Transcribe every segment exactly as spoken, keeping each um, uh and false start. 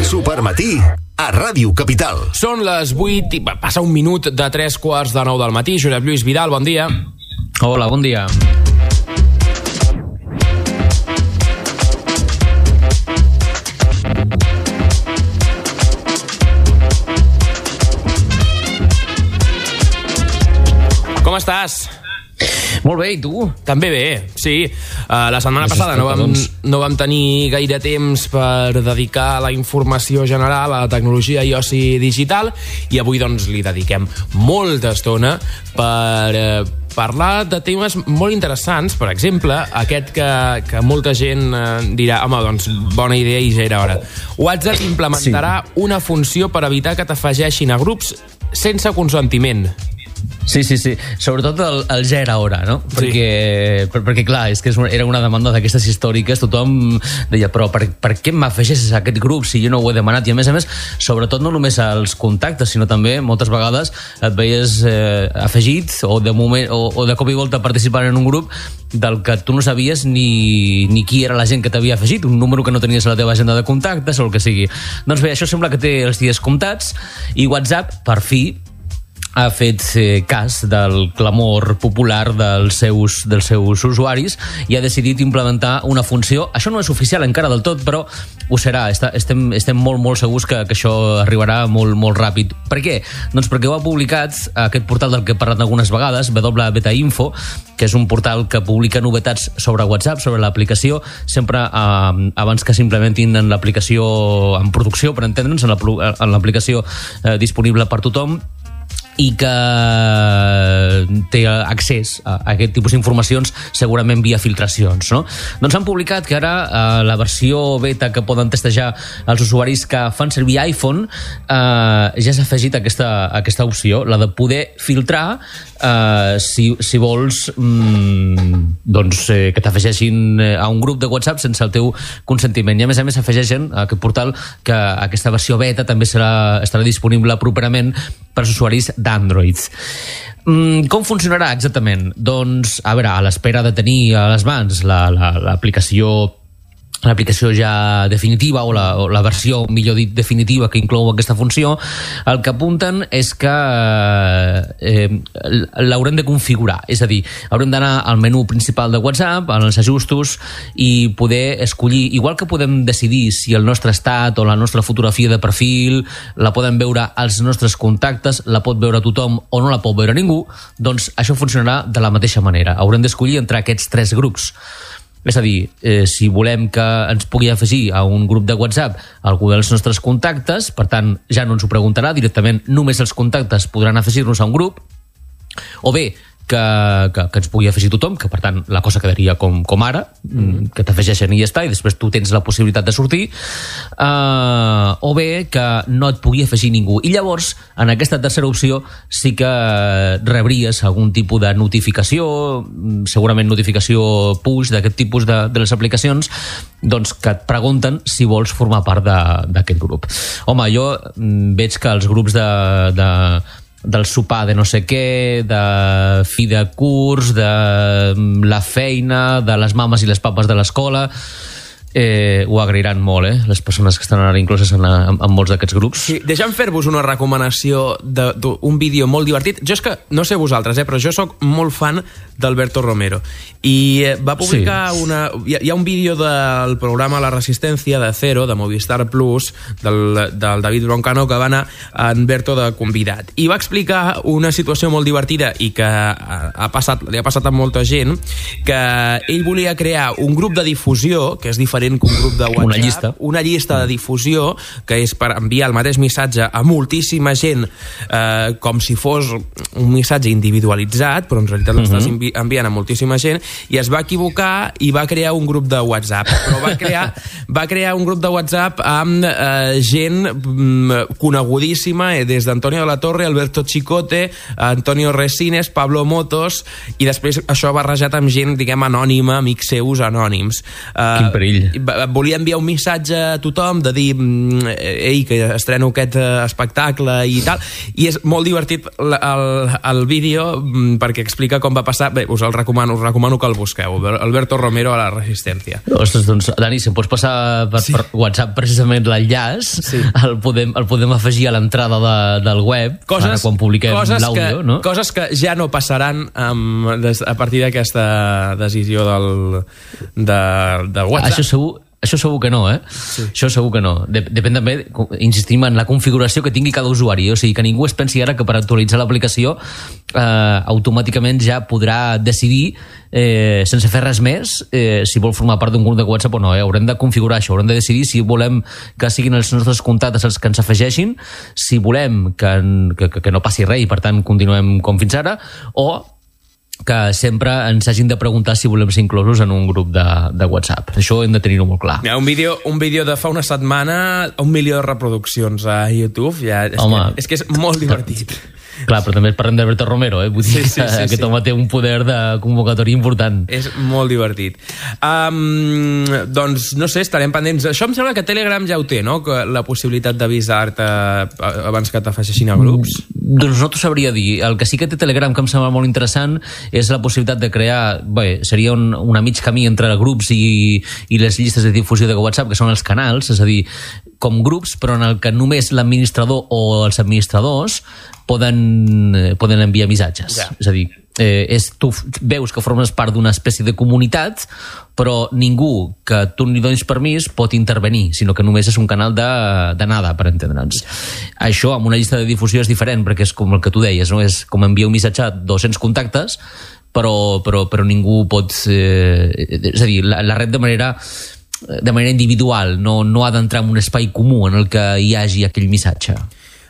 Supermatí a Ràdio Capital. Són les vuit i passa un minut de tres quarts de nou del matí. Josep Lluís Vidal, bon dia. Hola, bon dia. Com estàs? Molt bé, i tu? També bé, sí. Uh, la setmana Gràcies, passada no vam, doncs. no vam tenir gaire temps per dedicar la informació general a la tecnologia i oci digital, i avui doncs li dediquem molta estona per eh, parlar de temes molt interessants. Per exemple, aquest que, que molta gent eh, dirà, home, doncs bona idea i ja era hora. WhatsApp implementarà sí. una funció per evitar que t'afegeixin a grups sense consentiment. Sí, sí, sí. Sobretot el, el ja era hora, no? Perquè, sí. per, perquè clar, és que era una demanda d'aquestes històriques. Tothom deia, però per, per què m'afegeixes a aquest grup si jo no ho he demanat? I a més a més, sobretot no només als contactes, sinó també moltes vegades et veies eh, afegit o de, moment, o, o de cop i volta participant en un grup del que tu no sabies ni, ni qui era la gent que t'havia afegit, un número que no tenies a la teva agenda de contactes o el que sigui. Doncs bé, això sembla que té els dies comptats, i WhatsApp, per fi, ha fet eh, cas del clamor popular dels seus, dels seus usuaris i ha decidit implementar una funció. Això no és oficial encara del tot, però ho serà. Està, estem, estem molt, molt segurs que, que això arribarà molt, molt ràpid. Per què? Doncs perquè ho ha publicat aquest portal del que he parlat algunes vegades, W Beta Info, que és un portal que publica novetats sobre WhatsApp, sobre l'aplicació, sempre eh, abans que s'implementin en l'aplicació en producció, per entendre'ns, en l'aplicació eh, disponible per tothom, i que té accés a aquest tipus d'informacions segurament via filtracions, no? Doncs han publicat que ara eh, la versió beta que poden testejar els usuaris que fan servir iPhone eh, ja s'ha afegit aquesta, aquesta opció, la de poder filtrar eh, si, si vols mm, doncs, eh, que t'afegeixin a un grup de WhatsApp sense el teu consentiment. I a més a més afegeixen a aquest portal que aquesta versió beta també serà, estarà disponible properament per als usuaris d'Android. Mm, com funcionarà exactament? Doncs, a veure, a l'espera de tenir a les mans l'aplicació la, l'aplicació ja definitiva o la, o la versió, millor dit, definitiva que inclou aquesta funció, el que apunten és que eh, l'haurem de configurar, és a dir, haurem d'anar al menú principal de WhatsApp, als ajustos, i poder escollir, igual que podem decidir si el nostre estat o la nostra fotografia de perfil la poden veure als nostres contactes, la pot veure tothom o no la pot veure ningú, doncs això funcionarà de la mateixa manera. Haurem d'escollir entre aquests tres grups. És a dir, eh, si volem que ens pugui afegir a un grup de WhatsApp algú dels nostres contactes, per tant, ja no ens ho preguntarà, directament només els contactes podran afegir-nos a un grup, o bé que, que, que ens pugui afegir tothom, que per tant la cosa quedaria com, com ara, mm. que t'afegeixen i ja està, i després tu tens la possibilitat de sortir, uh, o bé que no et pugui afegir ningú. I llavors, en aquesta tercera opció, sí que rebries algun tipus de notificació, segurament notificació push d'aquest tipus de, de les aplicacions, doncs que et pregunten si vols formar part d'aquest grup. Home, jo veig que els grups de... de del sopar de no sé què, de fi de curs, de la feina, de les mames i les papes de l'escola, eh, ho agrairan molt, eh? Les persones que estan ara incloses en, en, en molts d'aquests grups. Sí, deixa'm fer-vos una recomanació d'un vídeo molt divertit. Jo és que, no sé vosaltres, eh, però jo sóc molt fan d'Alberto Romero, i va publicar sí. una... Hi ha un vídeo del programa La Resistencia de Cero, de Movistar Plus, del, del David Broncano, que va anar a Alberto de convidat, i va explicar una situació molt divertida i que ha passat, li ha passat a molta gent, que ell volia crear un grup de difusió, que és diferent que un grup de WhatsApp, una llista, una llista de difusió, que és per enviar el mateix missatge a moltíssima gent, eh, com si fos un missatge individualitzat, però en realitat l'estàs uh-huh. enviant a moltíssima gent, i es va equivocar i va crear un grup de WhatsApp, però va crear, va crear un grup de WhatsApp amb eh, gent mm, conegudíssima, eh, des d'Antonio de la Torre, Alberto Chicote, Antonio Resines, Pablo Motos, i després això barrejat amb gent, diguem, anònima, amics seus anònims. Quin perill. volia enviar un missatge a tothom de dir, ei, que estreno aquest espectacle i tal, i és molt divertit el, el vídeo perquè explica com va passar. Bé, us el recomano, us recomano que el busqueu. Alberto Romero a la Resistencia. Ostres, doncs, Dani, si em pots passar per, sí. per WhatsApp precisament l'enllaç, sí. el, podem, el podem afegir a l'entrada de, del web, coses, ara quan publiquem l'àudio, no? Coses que ja no passaran um, des, a partir d'aquesta decisió del, de, del WhatsApp. Això segur, això segur que no, eh? Sí. Això segur que no. Depèn també, insistim, en la configuració que tingui cada usuari. O sigui, que ningú es pensi ara que per actualitzar l'aplicació eh, automàticament ja podrà decidir, eh, sense fer res més, eh, si vol formar part d'un grup de WhatsApp o no. Eh? Haurem de configurar això, haurem de decidir si volem que siguin els nostres contactes els que ens afegeixin, si volem que, que, que no passi res i, per tant, continuem com fins ara, o que sempre ens hagin de preguntar si volem ser inclosos en un grup de, de WhatsApp. Això hem de tenir-ho molt clar. Ja, un vídeo, un vídeo de fa una setmana, un milió de reproduccions a YouTube, ja, és, Home, que, és que és molt divertit. Clar, però també parlem d'Alberto Romero, eh? Vull dir sí, sí, sí, que aquest home té un poder de convocatòria important. És molt divertit. Um, doncs, no sé, estarem pendents. Això em sembla que Telegram ja ho té, no? Que la possibilitat d'avisar-te abans que t'afegeixin a grups. Mm, doncs no t'ho sabria dir. El que sí que té Telegram, que em sembla molt interessant, és la possibilitat de crear... Bé, seria un, una mig camí entre grups i, i les llistes de difusió de WhatsApp, que són els canals, és a dir, com grups, però en el que només l'administrador o els administradors poden, poden enviar missatges. Ja. És a dir, eh, és, tu veus que formes part d'una espècie de comunitat, però ningú que tu ni donis permís pot intervenir, sinó que només és un canal de, de nada, per entendre'ns. Això amb una llista de difusió és diferent, perquè és com el que tu deies, no? És com enviar un missatge a dos-cents contactes, però, però, però ningú pot... Eh, és a dir, la, la red de manera... de manera individual, no, no ha d'entrar en un espai comú en el que hi hagi aquell missatge.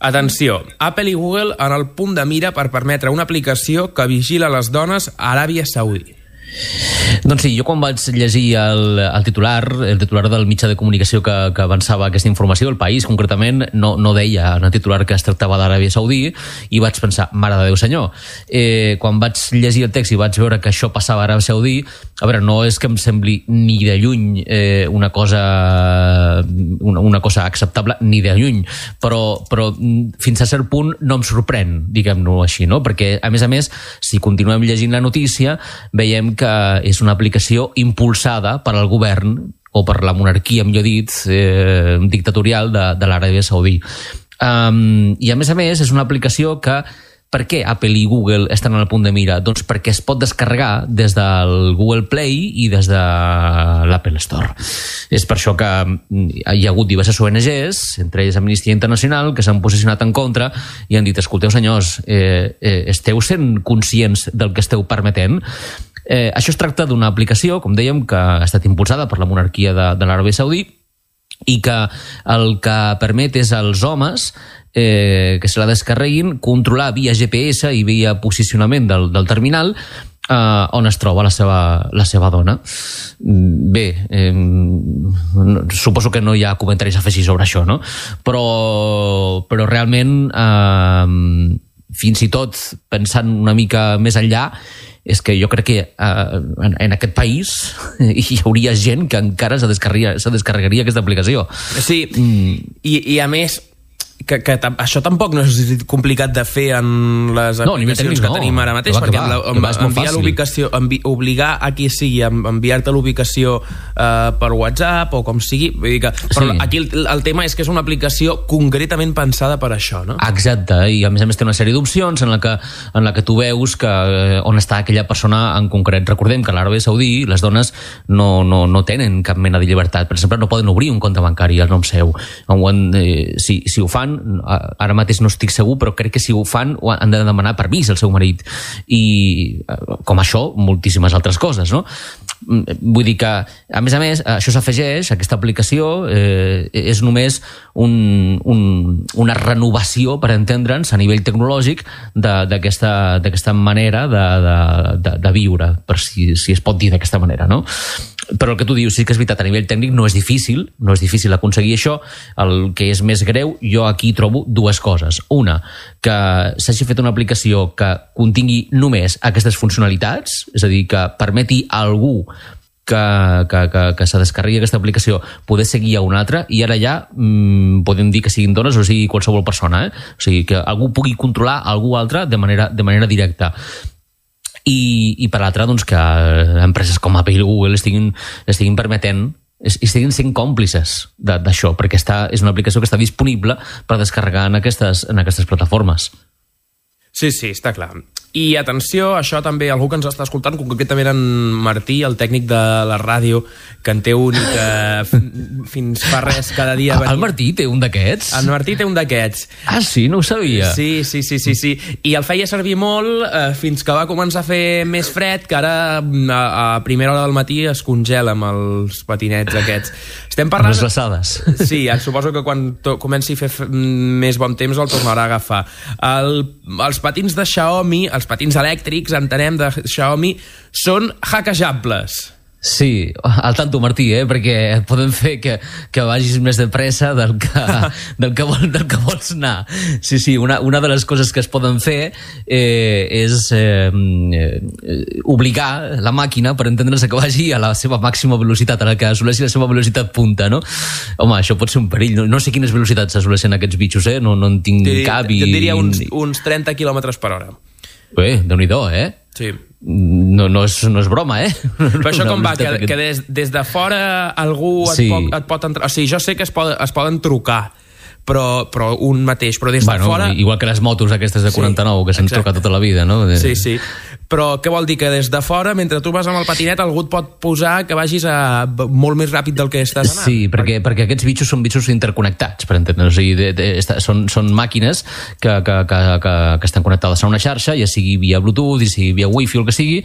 Atenció, Apple i Google en el punt de mira per permetre una aplicació que vigila les dones a Aràbia Saudí. Doncs sí, jo quan vaig llegir el, el titular, el titular del mitjà de comunicació que, que avançava aquesta informació, El País concretament, no, no deia en el titular que es tractava d'Aràbia Saudí, i vaig pensar, mare de Déu senyor. Eh, quan vaig llegir el text i vaig veure que això passava a Aràbia Saudí, a veure, no és que em sembli ni de lluny eh, una cosa una, una cosa acceptable, ni de lluny, però, però fins a cert punt no em sorprèn, diguem-ho així, no? Perquè, a més a més, si continuem llegint la notícia, veiem que és una aplicació impulsada per al govern o per la monarquia, millor dit, eh, dictatorial de, de l'Aràbia Saudí. Um, I a més a més és una aplicació que... Per què Apple i Google estan al punt de mira? Doncs perquè es pot descarregar des del Google Play i des de l'Apple Store. És per això que hi ha hagut diverses O N Ges, entre elles Amnistia Internacional, que s'han posicionat en contra i han dit, escolteu senyors, eh, eh, esteu sent conscients del que esteu permetent? Eh, això es tracta d'una aplicació, com dèiem, que ha estat impulsada per la monarquia de, de l'Aràbia Saudí i que el que permet és als homes eh, que se la descarreguin controlar via G P S i via posicionament del, del terminal eh, on es troba la seva, la seva dona. Bé, eh, suposo que no hi ha comentaris a afegir sobre això, no? Però, però realment eh, fins i tot pensant una mica més enllà, és que jo crec que uh, en, en aquest país hi hauria gent que encara se descarregaria, se descarregaria aquesta aplicació. Sí, mm. I, i a més que, que això tampoc no és complicat de fer en les no, aplicacions que no. tenim ara mateix, va, perquè va, amb la, amb, enviar l'ubicació, envi, obligar a qui sigui a enviar-te l'ubicació uh, per WhatsApp o com sigui, vull dir que, però sí. Aquí el, el tema és que és una aplicació concretament pensada per això, no? Exacte, i a més a més té una sèrie d'opcions en la que, en la que tu veus que, eh, on està aquella persona en concret. Recordem que a l'Aràbia Saudí les dones no, no, no tenen cap mena de llibertat, per exemple no poden obrir un compte bancari al nom seu. Eh, si, si ho fan, ara mateix no estic segur, però crec que si ho fan han de demanar permís al seu marit, i com això moltíssimes altres coses, no? Vull dir que, a més a més, això s'afegeix, aquesta aplicació eh, és només un, un, una renovació, per entendre'ns, a nivell tecnològic d'aquesta d'aquesta manera de, de, de, de viure, per si, si es pot dir d'aquesta manera, no? Però el que tu dius, sí que és veritat, a nivell tècnic no és difícil, no és difícil aconseguir això. El que és més greu, jo aquí trobo dues coses. Una, que s'hagi fet una aplicació que contingui només aquestes funcionalitats, és a dir, que permeti a algú que, que, que, que se descarregui aquesta aplicació poder seguir a un altre, i ara ja mmm, podem dir que siguin dones o sigui qualsevol persona, eh? O sigui, que algú pugui controlar algú altre de manera, de manera directa. I, i per l'altra, doncs, que empreses com Apple i Google estiguin, estiguin permetent i estiguin sent còmplices d'això, perquè està, és una aplicació que està disponible per descarregar en aquestes, en aquestes plataformes. Sí, sí, està clar. I atenció, això també, algú que ens està escoltant, concretament en Martí, el tècnic de la ràdio, que en té un i que fins fa res cada dia... El Martí té un d'aquests? El Martí té un d'aquests. Ah, sí? No ho sabia. Sí, sí, sí, sí, sí. I el feia servir molt eh, fins que va començar a fer més fred, que ara a, a primera hora del matí es congela amb els patinets aquests. Estem parlant... Amb les glaçades. Sí, suposo que quan comenci a fer més bon temps el tornarà a agafar. El, els patins de Xiaomi, els patins elèctrics, entenem, de Xiaomi, són hackejables. Sí, al tanto, Martí, eh? Perquè et poden fer que, que vagis més de pressa del que, del que, vol, del que vols anar. Sí, sí, una, una de les coses que es poden fer eh, és eh, obligar la màquina, per entendre's, que vagi a la seva màxima velocitat, a la que assoleixi la seva velocitat punta, no? Home, això pot ser un perill. No, no sé quines velocitats assoleixen aquests bitxos, eh? No, no en tinc Dir, cap. I, jo diria uns, uns trenta quilòmetres per hora. Bé, Déu-n'hi-do, eh? Sí. No, no, és, no és broma, eh? Però això com va? Que, que des, des de fora algú et, sí. pot, et pot entrar... O sigui, jo sé que es, pod, es poden trucar, però, però un mateix, però des de bueno, fora... Igual que les motos aquestes de quaranta-nou, sí, que s'han trucat tota la vida, no? De... Sí, sí. Però què vol dir? Que des de fora, mentre tu vas amb el patinet, algú et pot posar que vagis a molt més ràpid del que estàs anant. Sí, perquè, perquè aquests bitxos són bitxos interconnectats, per entendre. O sigui, de, de, de, són, són màquines que, que, que, que, que estan connectades a una xarxa, ja sigui via Bluetooth, ja sigui via Wi-Fi o el que sigui,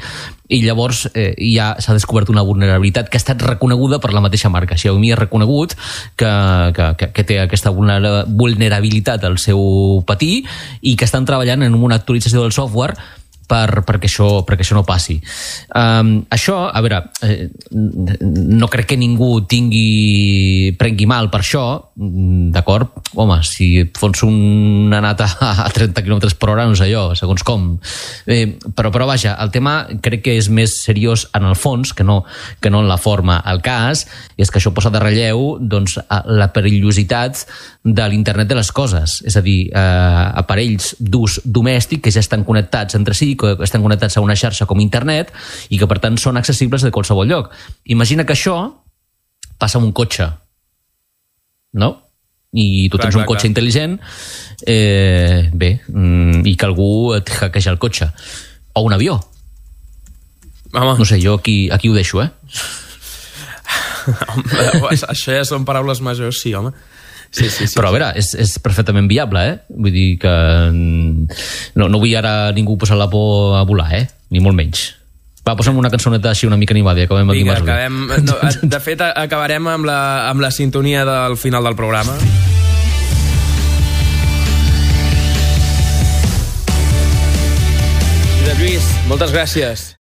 i llavors eh, ja s'ha descobert una vulnerabilitat que ha estat reconeguda per la mateixa marca. Xiaomi ha reconegut que, que, que, que té aquesta vulnerabilitat al seu patí i que estan treballant en una actualització del software per, perquè, això, perquè això no passi. Um, això, a veure, eh, no crec que ningú tingui, prengui mal per això, d'acord? Home, si et fons una nata a trenta quilòmetres per hora, no sé jo, segons com. Eh, però, però vaja, el tema crec que és més seriós en el fons que no, que no en la forma. El cas és que això posa de relleu, doncs, la perillositat de l'internet de les coses, és a dir, eh, aparells d'ús domèstic que ja estan connectats entre si, que estan connectats a una xarxa com internet i que per tant són accessibles de qualsevol lloc. Imagina que això passa amb un cotxe, no? I tu clar, tens un clar, cotxe clar. intel·ligent, eh, bé, i que algú et hackeja el cotxe. O un avió. Home. No sé, jo aquí, aquí ho deixo, eh? Home, això ja són paraules majors, sí, home. Sí, sí, sí, però a veure, és, és perfectament viable, eh? Vull dir que no, no vull ara ningú posar la por a volar, eh? Ni molt menys. Va, posa'm una cançoneta així una mica animada i acabem aquí. Vinga, acabem... No, de fet, acabarem amb la, amb la sintonia del final del programa. Josep Lluís, moltes gràcies.